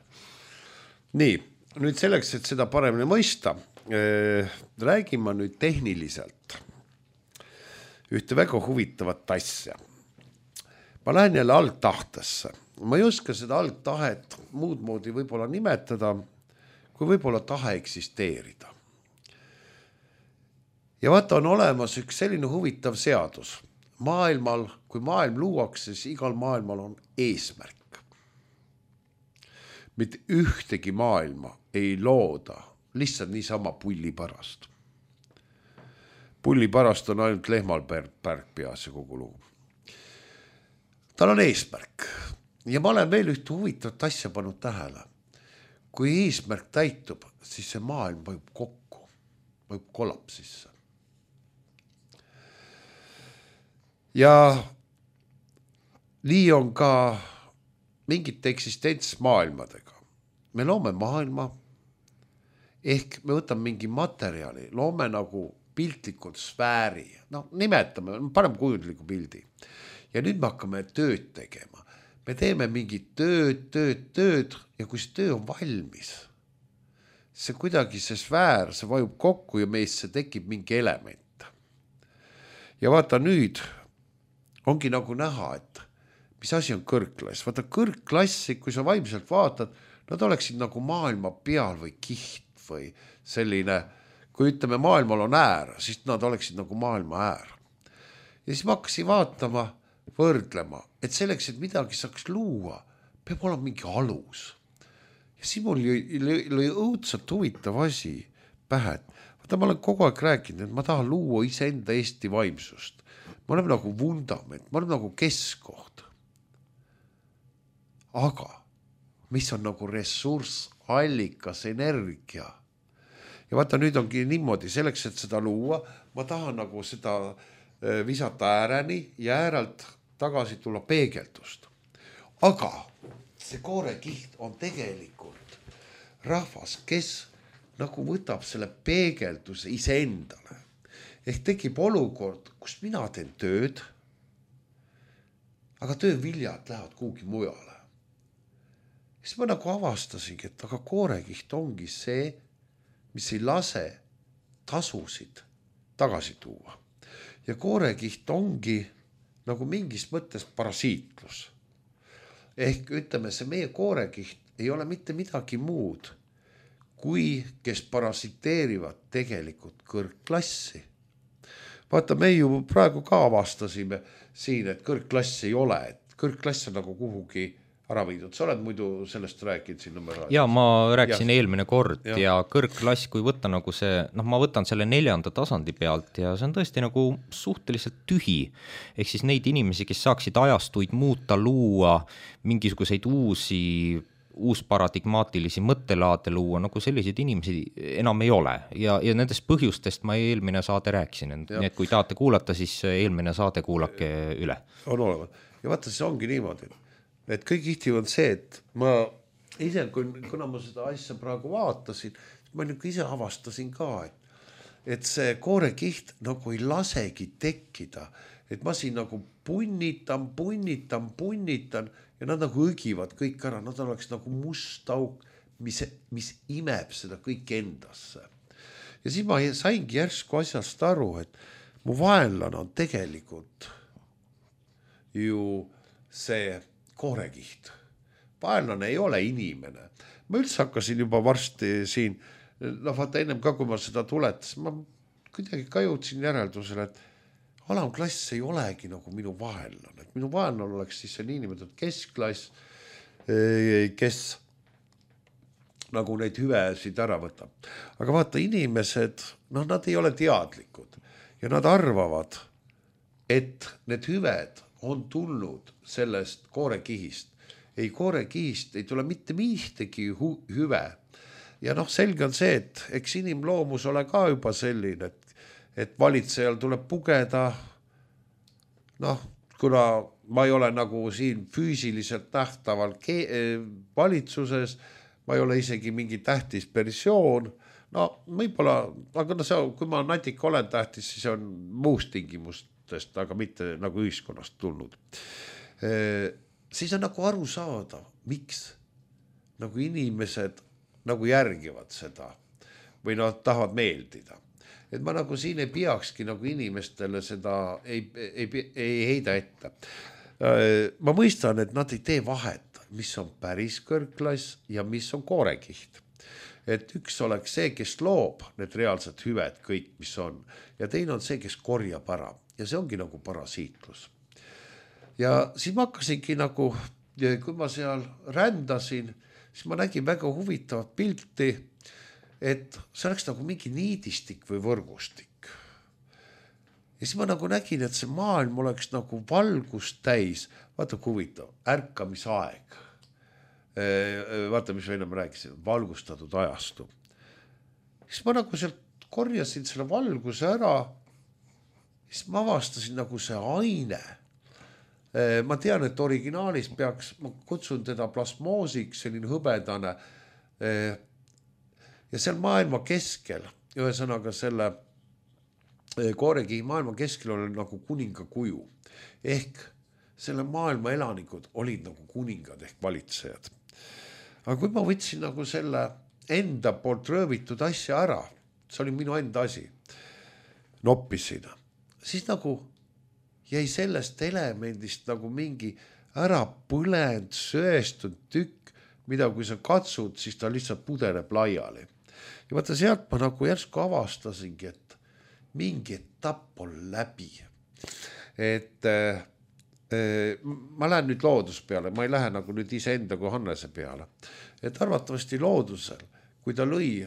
Nii, nüüd selleks, et seda paremini mõista, räägime nüüd tehniliselt ühte väga huvitavat asja. Ma lähen jälle algtahtesse. Ma ei oska seda algtahet muud moodi võib-olla nimetada, kui võib-olla tahe eksisteerida. Ja vaata, on olemas üks selline huvitav seadus. Maailmal, kui maailm luuakse, siis igal maailmal on eesmärk. Mitte ühtegi maailma ei looda lihtsalt niisama pulli pärast. Pulli pärast on ainult lehmal pärg peas ja kogu lugu. Tal on eesmärk. Ja ma olen veel ühte huvitavat asja pannud tähele. Kui eesmärk täitub, siis see maailm vajub kokku, vajub kollapsisse. Ja nii on ka mingite eksistentsmaailmadega. Me loome maailma, ehk me võtame mingi materjali, loome nagu piltlikult sfääri, nimetame, paneme kujundliku pildi. Ja nüüd me hakkame tööd tegema. Me teeme mingi tööd ja kui see töö on valmis, see kuidagi see sfäär, see vajub kokku ja meisse tekib mingi element. Ja vaata nüüd ongi nagu näha, et mis asi on kõrgklass. Vaata kõrgklassi, kui sa vaimselt vaatad, nad oleksid nagu maailma peal või kiht või selline, kui ütleme maailmal on äär, siis nad oleksid nagu maailma äär. Ja siis ma hakkasin vaatama, võrdlema, et selleks, et midagi saaks luua, peab olema mingi alus. Ja siin mul lõi õudselt huvitav asi pähe. Vaata, ma olen kogu aeg rääkinud, et ma tahan luua iseenda Eesti vaimsust. Ma olen nagu vundament, ma olen nagu keskkoht. Aga mis on nagu ressurss, allikas, energia. Ja vaata, nüüd ongi niimoodi, selleks, et seda luua, ma tahan nagu seda visata ääreni ja äärelt tagasi tulla peegeldust. Aga see koorekiht on tegelikult rahvas, kes nagu võtab selle peegelduse iseendale. Ehk tekib olukord, kus mina teen tööd, aga tööviljad lähevad kuhugi mujale. Siis ma nagu avastasingi, et aga koorekiht ongi see, mis ei lase tasusid tagasi tuua. Ja koorekiht ongi nagu mingis mõttes parasiitlus. Ehk ütleme, see meie koorekiht ei ole mitte midagi muud, kui kes parasiteerivad tegelikult kõrgklassi. Vaata, me ju praegu ka avastasime siin, et kõrgklass ei ole, et kõrgklass on nagu kuhugi ära viidud. Sa oled muidu sellest rääkinud siin numeraadis? Ja ma rääkisin eelmine kord ja kõrgklass, kui võtta nagu see, ma võtan selle 4. tasandi pealt ja see on tõesti nagu suhteliselt tühi. Ehk siis neid inimesi, kes saaksid ajastuid muuta, luua, mingisuguseid uusparadigmaatilisi mõttelaade luua, nagu selliseid inimesi enam ei ole. Ja nendest põhjustest ma eelmine saade rääkisin. Nii et kui tahate kuulata, siis eelmine saade kuulake üle. On olemas. Ja vaata, see ongi niimoodi. Et kõik ihti on see, et ma ise, kuna ma seda asja praegu vaatasin, ma ise avastasin ka, et see koorekiht nagu ei lasegi tekkida, et ma siin nagu punnitan ja nad nagu õgivad kõik ära, nad oleks nagu must auk, mis imeb seda kõik endasse. Ja siis ma saingi järsku asjast aru, et mu vaenlane on tegelikult ju see koorekiht. Vaenlane ei ole inimene. Ma üldse hakkasin juba varsti siin, vaata ennem ka, kui ma seda tuletasin, ma kuidagi ka jõudsin järeldusele, et alamklass ei olegi nagu minu vaenlane. Minu vaenlane oleks siis see niinimetatud keskklass, kes nagu neid hüvesid ära võtab. Aga vaata, inimesed, nad ei ole teadlikud ja nad arvavad, et need hüved on tulnud sellest koorekihist. Ei, koorekihist ei tule mitte mihtegi hüve. Ja selge on see, et eks inimloomus ole ka juba selline, et valitsejal tuleb pugeda, kuna ma ei ole nagu siin füüsiliselt nähtaval valitsuses, ma ei ole isegi mingi tähtis persoon, no võib-olla, aga no see, kui ma natika olen tähtis, siis on muust tingimustest, aga mitte nagu ühiskonnast tulnud. Siis on nagu aru saada, miks nagu inimesed nagu järgivad seda või nad tahavad meeldida. Et ma nagu siin ei peakski nagu inimestele seda ei heida ette. Ma mõistan, et nad ei tee vahet, mis on päris kõrgklass ja mis on koorekiht. Et üks oleks see, kes loob need reaalsed hüved, kõik, mis on. Ja teine on see, kes korjab ära. Ja see ongi nagu parasiitlus. Ja siis ma hakkasingi nagu, kui ma seal rändasin, siis ma nägin väga huvitavat pilti, et see oleks nagu mingi niidistik või võrgustik. Ja siis ma nagu nägin, et see maailm oleks nagu valgust täis, vaata kui huvitav, ärkamisaeg. Vaata, mis enne ma rääkisin, valgustatud ajastu. Siis ma nagu sealt korjasin selle valguse ära, siis ma avastasin nagu see aine. Ma tean, et originaalis peaks, ma kutsun teda plasmoosiks, selline hõbedane, ja seal maailma keskel, ühesõnaga selle koorekihi maailma keskel oli nagu kuninga kuju. Ehk selle maailma elanikud olid nagu kuningad ehk valitsejad. Aga kui ma võtsin nagu selle enda poolt röövitud asja ära, see oli minu enda asi, noppisin, siis nagu jäi sellest elemendist nagu mingi ära põlend, söestunud tükk, mida kui sa katsud, siis ta lihtsalt pudeneb laiali. Ja vaata sealt ma nagu järsku avastasingi, et mingi etapp on läbi. Et ma lähen nüüd loodus peale, ma ei lähe nagu nüüd iseenda kui Hannese peale. Et arvatavasti loodusel, kui ta lõi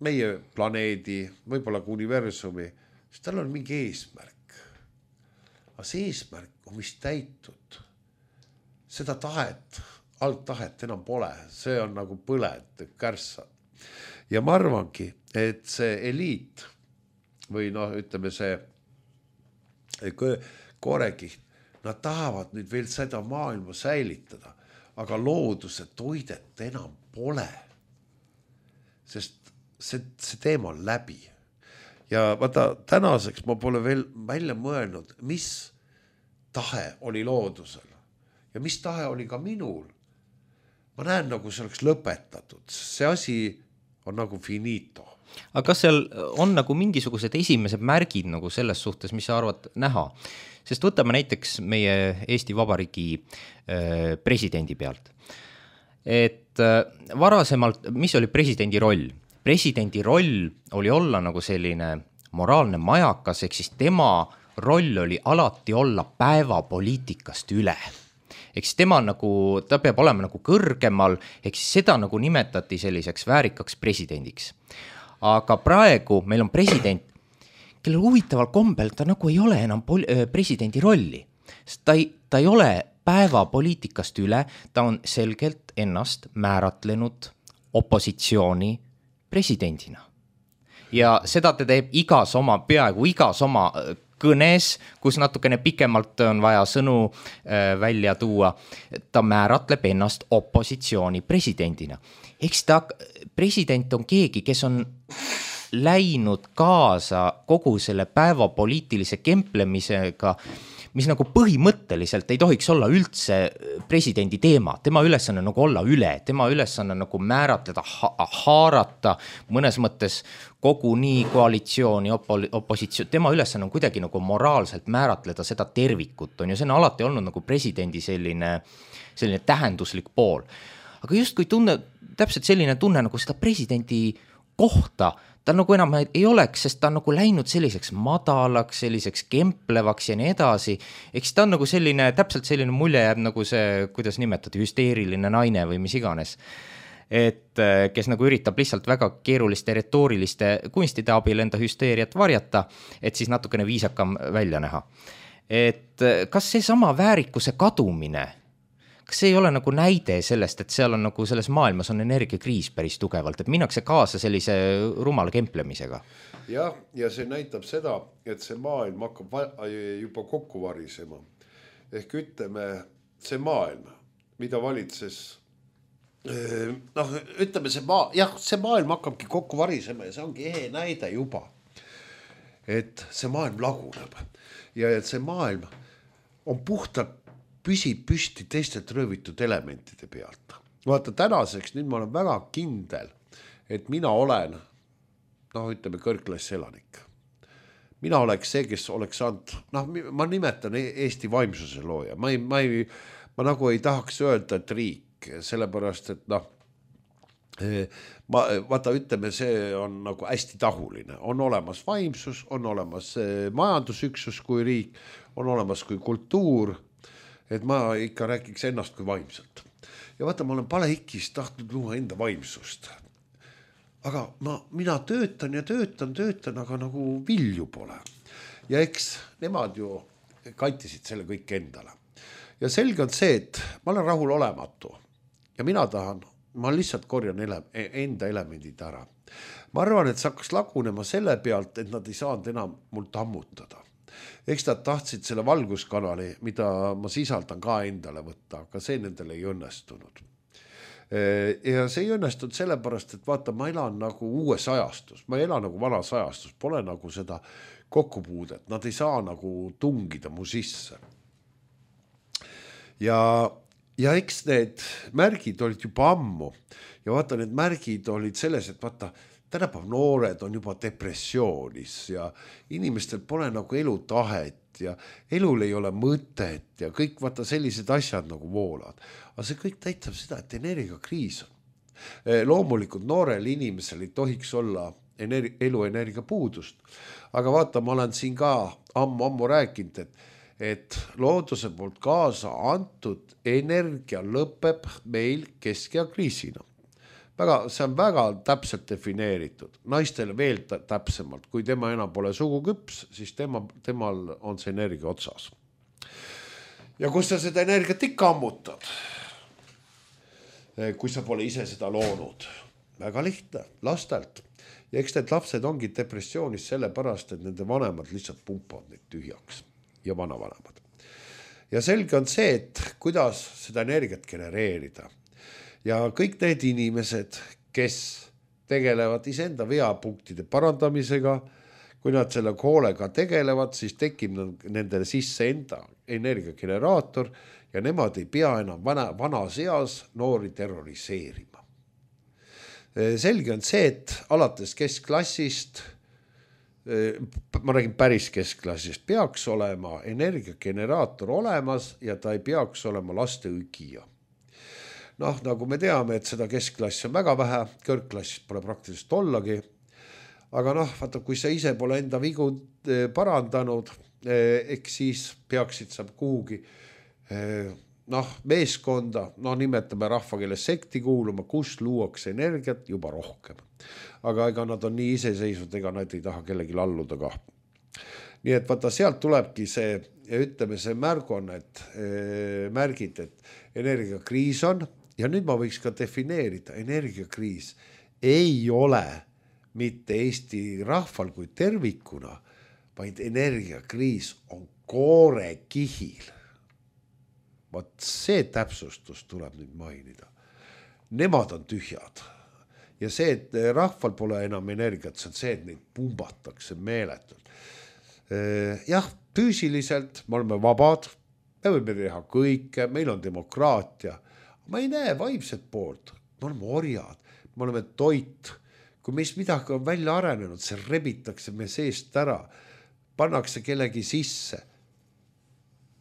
meie planeedi, võib-olla ka universumi, siis tal on mingi eesmärk. Aga see eesmärk on vist täitud. Seda tahet, alttahet enam pole, see on nagu põled, kärssad. Ja ma arvangi, et see eliit või ütleme see koorekiht, nad tahavad nüüd veel seda maailma säilitada, aga looduse toidet enam pole, sest see teema on läbi. Ja vaata, tänaseks ma pole veel välja mõelnud, mis tahe oli loodusel ja mis tahe oli ka minul. Ma näen, nagu see oleks lõpetatud, see asi on nagu finito. Aga kas seal on nagu mingisugused esimesed märgid nagu selles suhtes, mis sa arvad näha? Sest võtame näiteks meie Eesti Vabariigi presidendi pealt. Et varasemalt, mis oli presidendi roll? Presidendi roll oli olla nagu selline moraalne majakas, ehk siis tema roll oli alati olla päevapoliitikast üle. Ehk siis tema nagu, ta peab olema nagu kõrgemal, ehk siis seda nagu nimetati selliseks väärikaks presidendiks. Aga praegu meil on president, kellel huvitaval kombel ta nagu ei ole enam presidendi rolli. Ta ei ole päevapoliitikast üle, ta on selgelt ennast määratlenud opositsiooni presidendina. Ja seda ta teeb peaaegu igas oma kõnes, kus natukene pikemalt on vaja sõnu välja tuua, ta määratleb ennast opositsiooni presidendina. Eks ta president on keegi, kes on läinud kaasa kogu selle päevapoliitilise kemplemisega, mis nagu põhimõtteliselt ei tohiks olla üldse presidendi teema. Tema ülesanne nagu olla üle, tema ülesanne nagu määratleda, haarata mõnes mõttes kogu nii koalitsiooni, opositsioon. Tema ülesanne on kuidagi nagu moraalselt määratleda seda tervikut. On ju, see on alati olnud nagu presidendi selline tähenduslik pool. Aga just kui täpselt selline tunne nagu seda presidendi kohta, ta nagu enam ei oleks, sest ta on nagu läinud selliseks madalaks, selliseks kemplevaks ja nii edasi. Eks ta on nagu selline, täpselt selline mulje jääb nagu see, kuidas nimetati, hüsteeriline naine või mis iganes. Et kes nagu üritab lihtsalt väga keeruliste retooriliste kunstide abil enda hüsteeriat varjata, et siis natukene viisakam välja näha. Et kas see sama väärikuse kadumine, kas see ei ole nagu näide sellest, et seal on nagu selles maailmas on energiakriis päris tugevalt, et minnakse kaasa sellise rumala kemplemisega? Ja see näitab seda, et see maailm hakkab juba kokku varisema. ehk ütleme see maailm, mida valitses, ütleme see maailm hakkabki kokku varisema ja see ongi ehe näide juba, et see maailm laguneb ja et see maailm on puhtalt püsib püsti teistelt röövitud elementide pealt. Vaata tänaseks, nüüd ma olen väga kindel, et mina olen, ütleme kõrgklassi elanik. Mina oleks see, kes oleks saanud, ma nimetan Eesti vaimsuse looja. Ma nagu ei tahaks öelda, et riik, sellepärast, et vaata, ütleme, see on nagu hästi tahuline. On olemas vaimsus, on olemas majandusüksus kui riik, on olemas kui kultuur, et ma ikka rääkiks ennast kui vaimselt. Ja vaata, ma olen palehikis tahtnud luua enda vaimsust. Aga mina töötan, aga nagu vilju pole. Ja eks nemad ju kaitisid selle kõik endale. Ja selge on see, et ma olen rahul olematu. Ja ma lihtsalt korjan enda elemendid ära. Ma arvan, et see hakkas lagunema selle pealt, et nad ei saanud enam mult ammutada. Eks nad tahtsid selle valguskanali, mida ma sisaldan ka endale võtta, aga see nendele ei õnnestunud. Ja see ei õnnestunud sellepärast, et vaata, ma elan nagu uues ajastus, ma elan nagu vanas ajastus, pole nagu seda kokkupuudet, nad ei saa nagu tungida mu sisse. Ja eks need märgid olid juba ammu ja vaata, need märgid olid selles, et vaata, tänapäev noored on juba depressioonis ja inimestel pole nagu elutahet ja elul ei ole mõtet ja kõik vaata sellised asjad nagu voolavad. Aga see kõik täitab seda, et energiakriis on. Loomulikult noorel inimesel ei tohiks olla eluenergia puudust. Aga vaata, ma olen siin ka ammu rääkinud, et looduse poolt kaasa antud energia lõpeb meil kesk- ja kriisina. See on väga täpselt defineeritud. Naistele veel täpsemalt, kui tema enam pole suguküps, siis temal on see energia otsas. Ja kus sa seda energiat ikka ammutad, kui sa pole ise seda loonud? Väga lihtne, lastelt. Ja eks need lapsed ongi depressioonis sellepärast, et nende vanemad lihtsalt pumpavad neid tühjaks ja vanavanemad. Ja selge on see, et kuidas seda energiat genereerida. Ja kõik need inimesed, kes tegelevad iseenda veapunktide parandamisega, kui nad selle hoolega tegelevad, siis tekib nendele sisse enda energiageneraator ja nemad ei pea enam vanas eas noori terroriseerima. Selge on see, et alates keskklassist, ma räägin päris keskklassist, peaks olema energiageneraator olemas ja ta ei peaks olema laste õgija. Nagu me teame, et seda keskklassi on väga vähe, kõrgklassist pole praktiliselt ollagi, aga vaata, kui sa ise pole enda vigu parandanud, eks siis peaksid sa kuhugi meeskonda, nimetame rahvakeeles sekti kuuluma, kus luuakse energiat juba rohkem. Aga ega nad on nii iseseisvad, ega nad ei taha kellegi alluda ka. Nii et vaata, sealt tulebki see, ütleme see märgid, et energiakriis on. Ja nüüd ma võiks ka defineerida, energiakriis ei ole mitte Eesti rahval kui tervikuna, vaid energiakriis on koorekihil. Vaat see täpsustus tuleb nüüd mainida. Nemad on tühjad. Ja see, et rahval pole enam energiat, see on see, et neid pumbatakse meeletult. Jah, füüsiliselt me oleme vabad, me võime teha kõike, meil on demokraatia. Ma ei näe vaimset poolt, me oleme orjad, me oleme toit. Kui meist midagi on välja arenenud, see rebitakse me seest ära, pannakse kellegi sisse,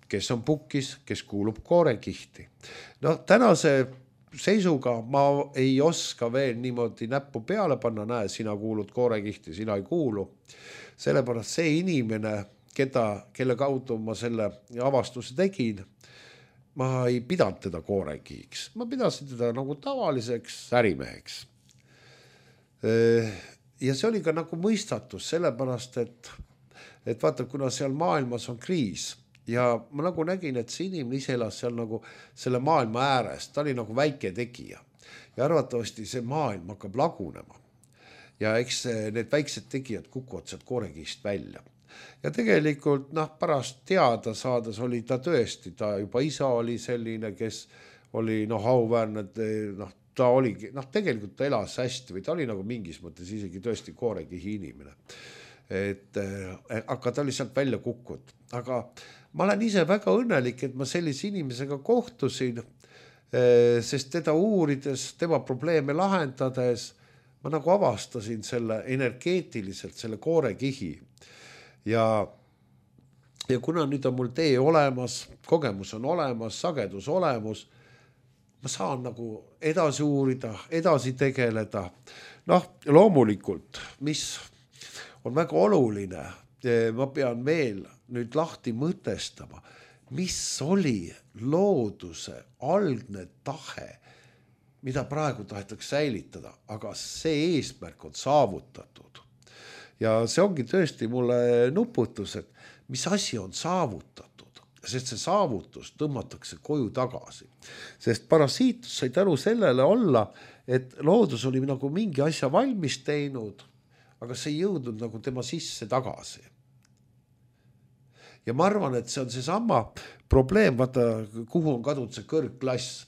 kes on pukis, kes kuulub koorekihti. Tänase seisuga ma ei oska veel niimoodi näppu peale panna, näe, sina kuulud koorekihti, sina ei kuulu. Sellepärast see inimene, kelle kaudu ma selle avastuse tegin, ma ei pidanud teda koorekihiks, ma pidasin teda nagu tavaliseks ärimeheks. Ja see oli ka nagu mõistatus, sellepärast, et vaata, kuna seal maailmas on kriis ja ma nagu nägin, et see inimene ise elas seal nagu selle maailma ääres, ta oli nagu väike tegija ja arvatavasti see maailm hakkab lagunema ja eks need väiksed tegijad kukuvad sealt koorekihist välja. ja tegelikult pärast teada saades oli ta tõesti, ta juba isa oli selline, kes oli auväärne, ta oligi, tegelikult ta elas hästi või ta oli nagu mingis mõttes isegi tõesti koorekihi inimene. Aga ta oli sealt välja kukkunud. Aga ma olen ise väga õnnelik, et ma sellise inimesega kohtusin, sest teda uurides, tema probleeme lahendades, ma nagu avastasin selle energeetiliselt, selle koorekihi. Ja kuna nüüd on mul tee olemas, kogemus on olemas, sagedus olemas, ma saan nagu edasi uurida, edasi tegeleda. Loomulikult, mis on väga oluline, ma pean veel nüüd lahti mõtestama, mis oli looduse algne tahe, mida praegu tahetakse säilitada, aga see eesmärk on saavutatud. Ja see ongi tõesti mulle nuputus, et mis asi on saavutatud, sest see saavutus tõmmatakse koju tagasi. Sest parasiitus sai tänu sellele olla, et loodus oli nagu mingi asja valmis teinud, aga see ei jõudnud nagu tema sisse tagasi. Ja ma arvan, et see on seesama probleem, vaata, kuhu on kadunud see kõrgklass.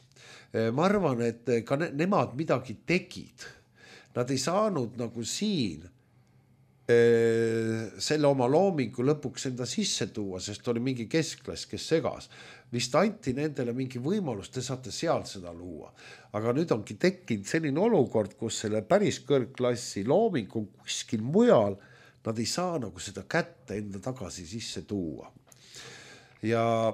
Ma arvan, et ka nemad midagi tegid. Nad ei saanud nagu siin selle oma loomingu lõpuks enda sisse tuua, sest oli mingi keskklass, kes segas. Vist anti nendele mingi võimalus, te saate sealt seda luua. Aga nüüd ongi tekkinud selline olukord, kus selle päris kõrgklassi looming on kuskil mujal, nad ei saa nagu seda kätte enda tagasi sisse tuua. Ja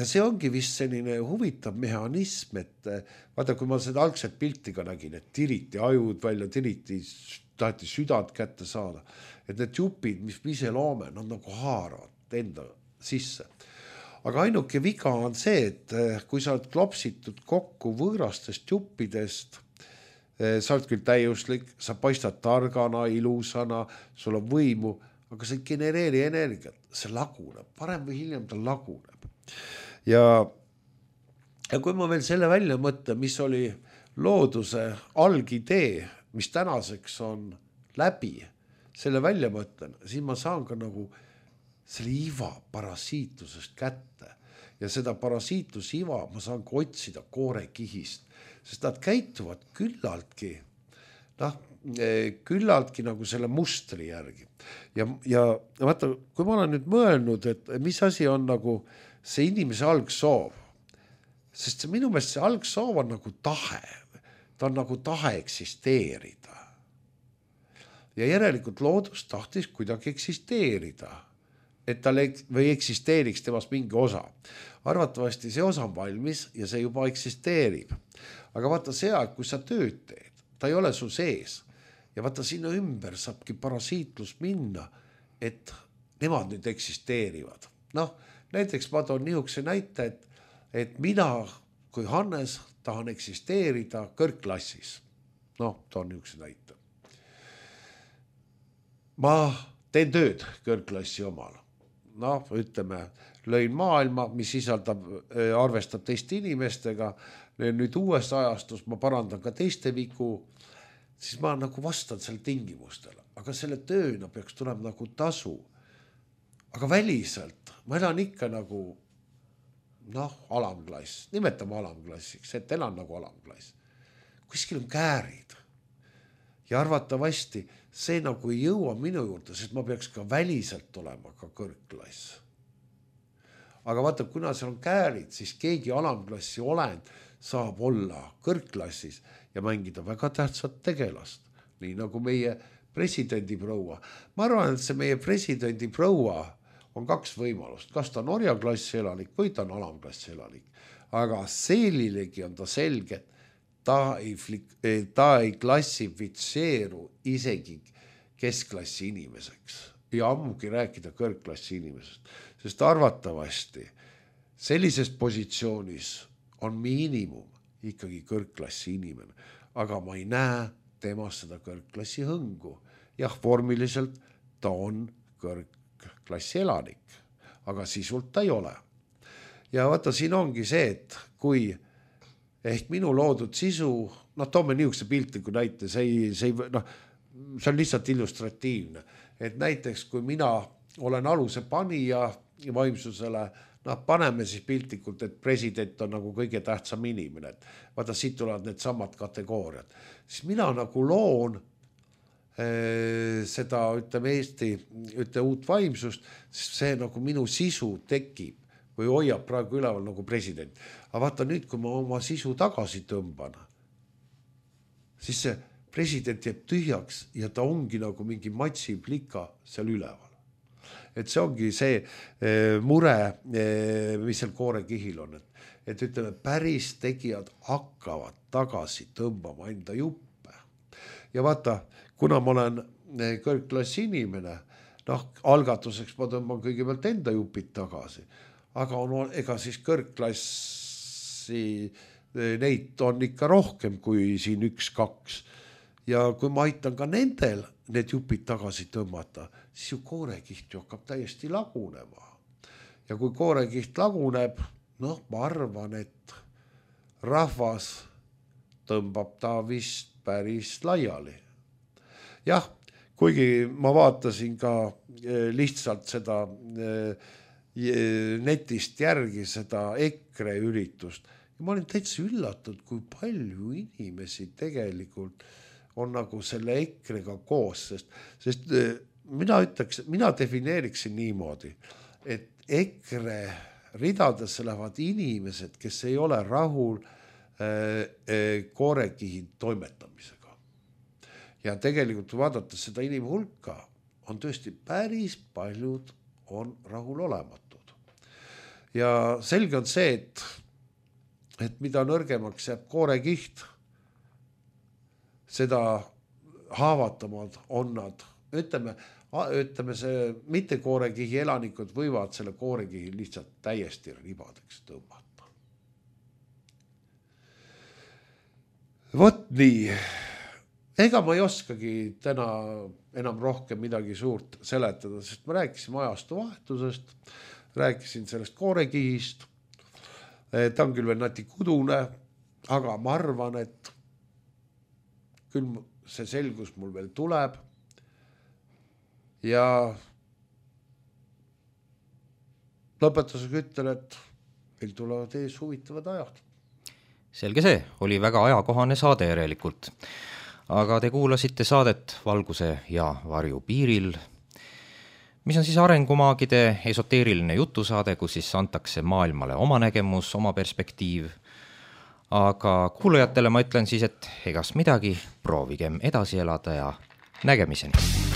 see ongi vist selline huvitav mehhanism, et vaata, kui ma seda algset pilti ka nägin, et tiriti ajud välja, taheti südant kätte saada, et need jupid, mis me ise loome, nad nagu haaravad enda sisse. Aga ainuke viga on see, et kui sa oled klopsitud kokku võõrastest juppidest, sa oled küll täiuslik, sa paistad targana, ilusana, sul on võimu, aga sa ei genereeri energiat, see laguneb, varem või hiljem ta laguneb. Ja kui ma veel selle välja mõtlen, mis oli looduse algidee, mis tänaseks on läbi, selle välja mõtlen, siis ma saan ka nagu selle iva parasiitusest kätte. Ja seda parasiitusiva ma saan ka otsida koorekihist, sest nad käituvad küllaltki nagu selle mustri järgi. Ja vaata, kui ma olen nüüd mõelnud, et mis asi on nagu see inimese algsoov, sest minu meelest see algsoov on nagu tahe, ta on nagu tahe eksisteerida. Ja järelikult loodus tahtis kuidagi eksisteerida, et tal või eksisteeriks temast mingi osa. Arvatavasti see osa on valmis ja see juba eksisteerib. Aga vaata see aeg, kui sa tööd teed, ta ei ole su sees. Ja vaata sinna ümber saabki parasiitlus minna, et nemad nüüd eksisteerivad. Näiteks ma toon niisuguse näite, et mina kui Hannes tahan eksisteerida kõrgklassis. Toon niisuguse näite. Ma teen tööd kõrgklassi omal. Ütleme, lõin maailma, mis arvestab teiste inimestega. Nüüd uues ajastus ma parandan ka teiste vigu, siis ma nagu vastan selle tingimustele. Aga selle tööna peaks tulema nagu tasu. Aga väliselt ma elan ikka nagu alamklass. Nimetame alamklassiks, et elan nagu alamklass. Kuskil on käärid. Ja arvatavasti see nagu ei jõua minu juurde, sest ma peaks ka väliselt olema ka kõrgklass. Aga vaata, kuna seal on käärid, siis keegi alamklassi olend saab olla kõrgklassis ja mängida väga tähtsat tegelast. Nii nagu meie presidendi proua. Ma arvan, et see meie presidendi proua on kaks võimalust. Kas ta on orjaklassi elanik või ta on alamklassi elanik. Aga sellilegi on ta selge, ta ei klassifitseeru isegi keskklassi inimeseks ja ammugi rääkida kõrgklassi inimesest, sest arvatavasti sellises positsioonis on miinimum ikkagi kõrgklassi inimene, aga ma ei näe temas seda kõrgklassi hõngu. Jah, vormiliselt ta on kõrgklassi elanik, aga sisult ta ei ole. Ja vaata, siin ongi see, et kui ehk minu loodud sisu, toome niisuguse piltliku näite, see on lihtsalt illustratiivne. Et näiteks, kui mina olen aluse panija vaimsusele, paneme siis piltlikult, et president on nagu kõige tähtsam inimene, et vaata, siit tulevad need samad kategooriad. Siis mina nagu loon seda, ütleme Eesti, uut vaimsust, siis see nagu minu sisu tekib või hoiab praegu üleval nagu president. Aga vaata nüüd, kui ma oma sisu tagasi tõmban, siis see president jääb tühjaks ja ta ongi nagu mingi matsiplika seal üleval. Et see ongi see mure, mis seal koorekihil on, et ütleme, päris tegijad hakkavad tagasi tõmbama enda juppe. Ja vaata, kuna ma olen kõrgklassi inimene, algatuseks ma tõmban kõigepealt enda jupid tagasi, aga ega siis kõrgklassi neid on ikka rohkem kui siin 1-2. Ja kui ma aitan ka nendel need jupid tagasi tõmmata, siis ju koorekiht ju hakkab täiesti lagunema. Ja kui koorekiht laguneb, ma arvan, et rahvas tõmbab ta vist päris laiali. Jah, kuigi ma vaatasin ka lihtsalt seda netist järgi seda EKRE üritust ja ma olin täitsa üllatud, kui palju inimesi tegelikult on nagu selle EKRE-ga koos, sest mina defineeriksin niimoodi, et EKRE ridadesse lähevad inimesed, kes ei ole rahul koorekihi toimetamisega. Ja tegelikult vaadates seda inimhulka on tõesti päris paljud on rahul olematud. Ja selge on see, et mida nõrgemaks jääb koorekiht, seda haavatavad on nad. Ütleme see mitte koorekihi elanikud võivad selle koorekihi lihtsalt täiesti ribadeks tõmmata. Vot nii. Ega ma ei oskagi täna enam rohkem midagi suurt seletada, sest ma rääkisin ajastu vahetusest, rääkisin sellest koorekihist. Ta on küll veel nati kudune, aga ma arvan, et küll see selgus mul veel tuleb ja lõpetusega ütlen, et meil tulevad ees huvitavad ajad. Selge see, oli väga ajakohane saade järelikult. Aga te kuulasite saadet Valguse ja varju piiril, mis on siis arengumaagide esoteeriline jutusaade, kus siis antakse maailmale oma nägemus, oma perspektiiv. Aga kuulajatele ma ütlen siis, et egas midagi, proovigem edasi elada ja nägemiseni.